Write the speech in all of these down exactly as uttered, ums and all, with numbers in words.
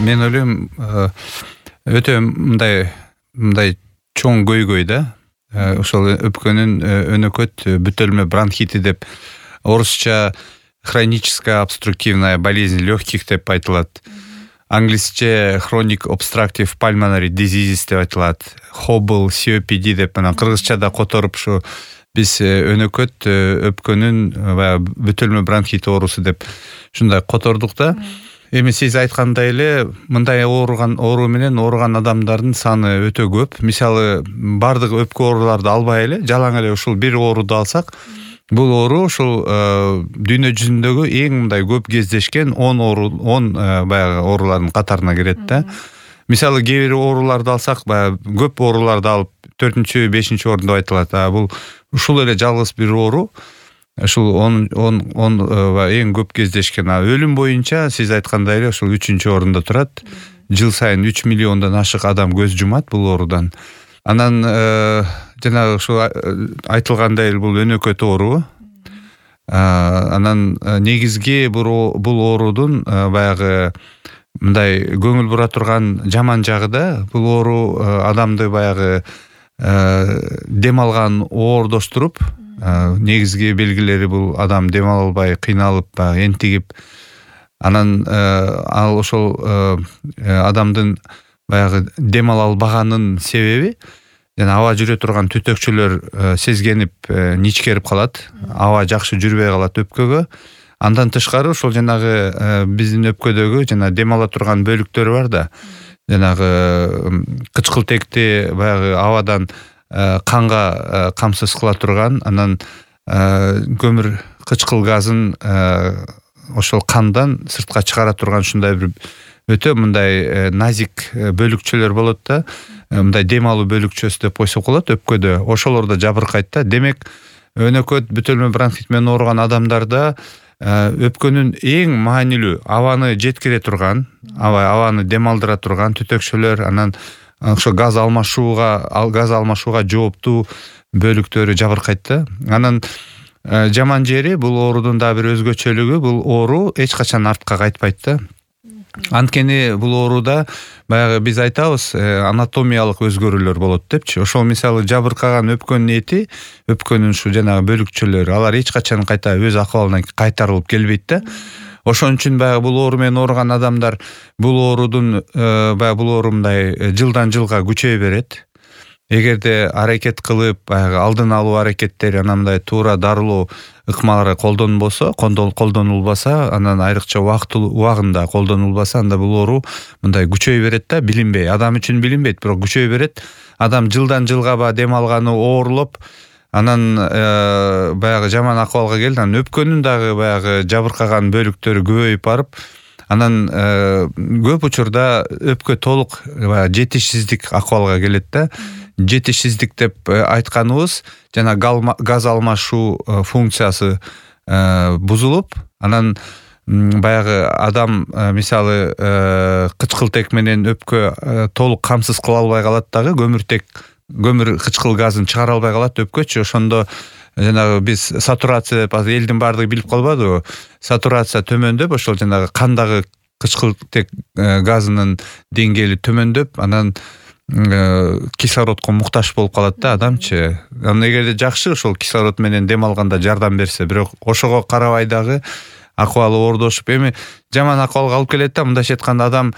мен ойлойм өтө мындай мындай чоң көйгөй да. Ошол өпкөнүн өнөкөт бүтөлмө бронхити деп орусча хроническая обструктивная болезнь легких деп айтылат. Англисче chronic obstructive pulmonary disease деп айтылат. Хобл, си о пи ди деп анан кыргызчада которуп ушу биз өнөкөт өпкөнүн баягы бүтөлмө бронхит оорусу деп ушундай котордук да. Эми сиз айткандай эле мындай ооруган оору менен ооруган адамдардын саны өтө көп. Мисалы бардык өпкө ооруларды албай эле жалаң эле ушул бир ооруду алсак, бул оору ушул дүйнө жүзүндөгү эң мындай көп кездешкен он оору он баягы оорулардын катарына кирет да. Мисалы кээ бир ооруларды алсак, баягы көп ооруларды алып төртүнчү, бешинчи орунда айтылат. А бул ушул эле жалгыз бир оору ушул он он он эң көп кездешкен. А өлүм боюнча сиз айткандай эле ушул үчүнчү орунда турат. Жыл сайын үч миллиондон ашык адам көз жумат бул оорудан. Анан жанагы ушул айтылгандай эле бул өнөкөт оору. Анан негизги бул оорудун баягы мындай көңүл бура турган жаман жагы да, бул оору адамды баягы дем алган оордоштуруп, негизги белгилери бул адам дем ала албай, кыйналып, энтигип, анан ал ошол адамдын баягы дем ала албаганын себеби жана аба жүрө турган түтөкчөлөр сезгенип ничкерип калат, аба жакшы жүрбөй калат өпкөгө. Андан тышкары ошол жанагы биздин өпкөдөгү жана дем ала турган бөлүктөр бар да, жанагы кычкылтекти баягы абадан канга камсыз кыла турган, анан көмүр кычкыл газын ошол кандан сыртка чыгара турган ушундай бир өтө мындай назик бөлүкчөлөр болот да. Мындай дем алуу бөлүкчөсү деп койсок болот өпкөдө. Ошолор да жабыркайт да. Демек, өнөкөт бүтөлмө бронхит менен ооруган адамдарда өпкөнүн эң маанилүү абаны жеткире турган, аба абаны дем алдыра турган түтөкчөлөр, анан ошо газ алмашууга, газ алмашууга жооптуу бөлүктөрү жабыркайт да. Анан жаман жери бул оорудун да бир өзгөчөлүгү, бул оору эч качан артка кайтпайт да. Анткени бул ооруда баягы биз айтабыз, анатомиялык өзгөрүүлөр болот депчи. Ошол мисалы жабыркаган өпкөнүн эти, өпкөнүн ушу жанагы бөлүкчөлөрү, алар эч качан кайта өз акыбалына кайтарылып келбейт да. Ошон үчүн баягы бул оору менен ооруган адамдар бул оорудун баягы бул оору мындай жылдан жылга күчөй берет. Эгерде аракет кылып, баягы алдын алуу аракеттери, анандай туура дарылоо ыкмалары колдонбосо, колдонулбаса, анан айрыкча убактылуу убагында колдонулбаса, анда бул оору мындай күчөй берет да, билинбей. Адам үчүн билинбейт, бирок күчөй берет. Адам жылдан жылга ба дем алганы оорулуп, анан баягы жаман акыбалга келди. Анан өпкөнүн дагы баягы жабыркаган бөлүктөрү көбөйүп барып, анан көп учурда өпкө толук жетишсиздик акыбалга келет да. Жетишсиздик деп айтканыбыз жана газ алмашуу функциясы бузулуп, анан баягы адам мисалы кычкылтек менен өпкө толук камсыз кыла албай калат дагы, көмүртек көмүр кычкыл газын чыгара албай калат өпкөчү. Ошондо жанагы биз сатурация деп элдин баардыгы билип калбадыбы? Сатурация төмөндөп, ошол жанагы кандагы кычкылтек газынын деңгээли төмөндөп, анан кислородко муктаж болуп калат да адамчы. Анан эгерде жакшы ошол кислород менен дем алганда жардам берсе, бирок ошого карабай дагы акыбалы оордошуп, эми жаман акыбалга алып келет да. Мындайча айтканда адам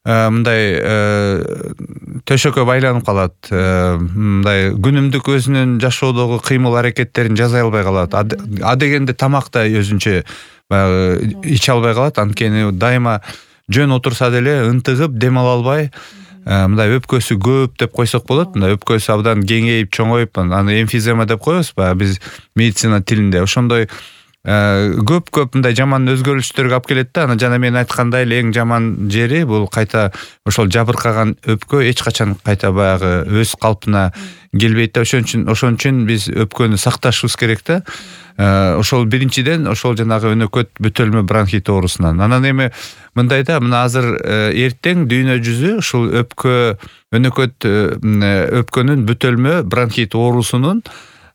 мындай төшөккө байланып калат, мындай күнүмдүк өзүнүн жашоодогу кыймыл аракеттерин жасай албай калат. А дегенде тамак да өзүнчө баягы иче албай калат, анткени дайыма жөн отурса деле ынтыгып дем ала албай, мындай өпкөсү көп деп койсок болот. Мындай өпкөсү абдан кеңейип, чоңоюп, аны эмфизема деп коебуз баягы биз медицина тилинде. Ошондой көп-көп мындай жаман өзгөрүлүштөргө алып келет да. Анан жана мен айткандай эле эң жаман жери бул кайта ошол жабыркаган өпкө эч качан кайта баягы өз калпына келбейт да. Ошон үчүн ошон үчүн биз өпкөнү сакташыбыз керек да. Ошол биринчиден ошол жанагы өнөкөт бүтөлмө бронхит оорусунан. Анан эми мындай да, мына азыр эртең дүйнө жүзү ушул өпкө өнөкөт өпкөнүн бүтөлмө бронхит оорусунун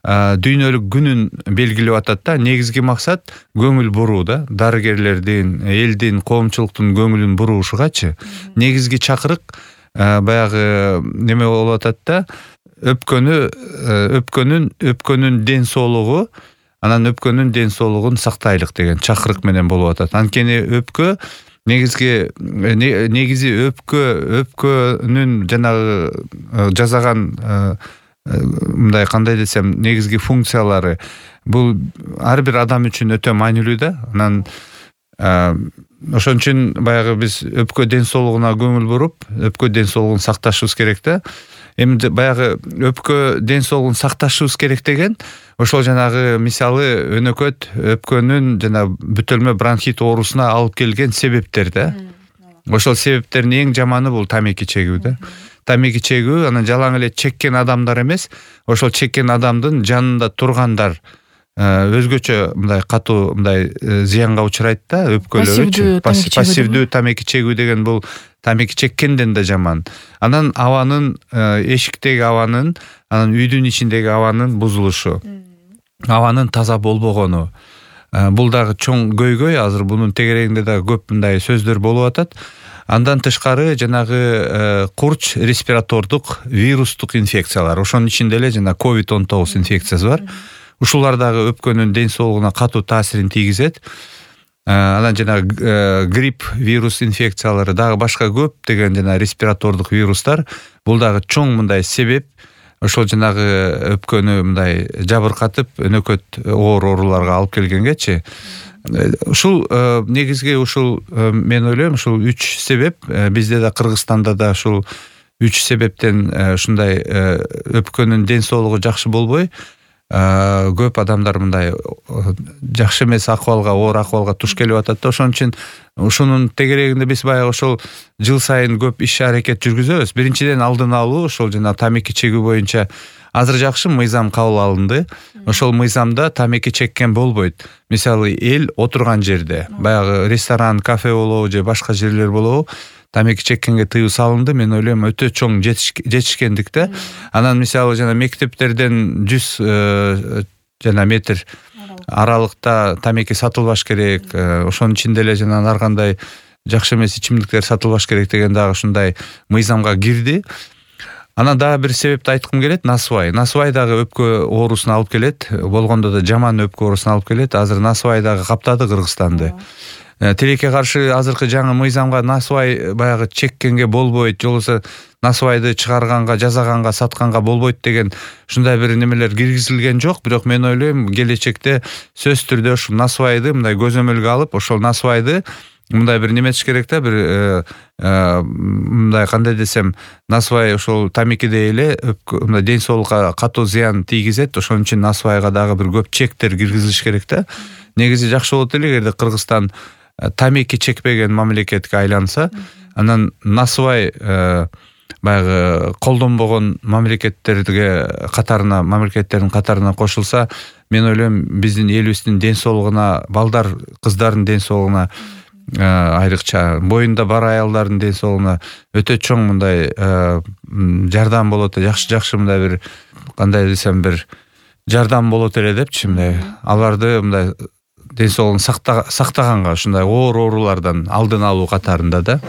дүйнөлүк күнүн белгилеп атат да. Негизги максат көңүл буруу да. Дарыгерлердин, элдин, коомчулуктун көңүлүн буруушугачы. Негизги чакырык баягы неме болуп атат да. Өпкөнү, өпкөнүн, өпкөнүн ден соолугу, анан өпкөнүн ден соолугун сактайлык деген чакырык менен болуп атат. Анткени өпкө негизги негизи өпкө, өпкөнүн жанагы жасаган мындай кандай десем, негизги функциялары бул ар бир адам үчүн өтө маанилүү да. Анан ошон үчүн баягы биз өпкө ден соолугуна көңүл буруп, өпкө ден соолугун сакташыбыз керек да. Эми баягы өпкө ден соолугун сакташыбыз керек деген ошол жанагы мисалы өнөкөт өпкөнүн жана бүтөлмө бронхит оорусуна алып келген себептер да. Ошол себептердин эң жаманы бул тамеки чегүү да. Тамеки чегүү, анан жалаң эле чеккен адамдар эмес, ошол чеккен адамдын жанында тургандар өзгөчө мындай катуу мындай зыянга учурайт да, өпкөлөрүчү. Пассивдүү тамеки чегүү деген бул тамеки чеккенден да жаман. Анан абанын, эшиктеги абанын, анан үйдүн ичиндеги абанын бузулушу, абанын таза болбогону. Бул дагы чоң көйгөй, азыр бунун тегерегинде да көп мындай сөздөр болуп атат. Андан тышкары жанагы курч респиратордук вирустук инфекциялар. Ошонун ичинде эле жана ковид он тогуз инфекциясы бар. Ушулар дагы өпкөнүн ден соолугуна катуу таасирин тийгизет. Анан жана грипп вирус инфекциялары дагы башка көп деген жана респиратордук вирустар. Бул дагы чоң мындай себеп. Ошол жанагы өпкөнү мындай жабыркатып, өнөкөт оор ооруларга алып келгенгечи. Ушул негизги ушул мен ойлойм, ушул үч себеп бизде да Кыргызстанда да ушул үч себептен ушундай өпкөнүн ден соолугу жакшы болбой, көп адамдар мындай жакшы эмес акыбалга, оор акыбалга туш келип атат да. Ошон үчүн ушунун тегерегинде биз баягы ошол жыл сайын көп иш аракет жүргүзөбүз. Биринчиден алдын алуу, ошол жана тамеки чегүү боюнча азыр жакшы мыйзам кабыл алынды. Ошол мыйзамда тамеки чеккен болбойт. Мисалы, эл отурган жерде, баягы ресторан, кафе болобу же башка жерлер болобу, тамеки чеккенге тыюу салынды. Мен ойлойм, өтө чоң жетишкендик да. Анан мисалы жана мектептерден жүз жана метр аралыкта тамеки сатылбаш керек. Ошонун ичинде эле жана ар кандай жакшы эмес ичимдиктер сатылбаш керек деген дагы ушундай мыйзамга кирди. Анан дагы бир себепти айткым келет, насыбай. Насыбай дагы өпкө оорусуна алып келет. Болгондо да жаман өпкө оорусуна алып келет. Азыр насыбай дагы каптады Кыргызстанды. Тилекке каршы азыркы жаңы мыйзамга насыбай баягы чеккенге болбойт, жолусу насыбайды чыгарганга, жасаганга, сатканга болбойт деген ушундай бир немелер киргизилген жок. Бирок мен ойлойм, келечекте сөзсүз түрдө ушул насыбайды мындай көзөмөлгө алып, ошол насыбайды мындай бир неметиш керек да, бир мындай кандай десем, насыбай ошол тамекидей эле мындай ден соолукка катуу зыян тийгизет. Ошон үчүн насыбайга дагы бир көп чектер киргизилиш керек да. Негизи жакшы болот эле эгерде Кыргызстан тамеки чекпеген мамлекетке айланса, анан насыбай баягы колдонбогон мамлекеттерге катарына, мамлекеттердин катарына кошулса, мен ойлойм, биздин элибиздин ден соолугуна, балдар, кыздардын ден соолугуна, айрыкча боюнда бар аялдардын ден соолугуна өтө чоң мындай жардам болот, жакшы-жакшы мындай бир кандай десем бир жардам болот эле депчи, мындай аларды мындай ден соолугун сактаганга, ушундай оор оорулардан алдын алуу катарында да.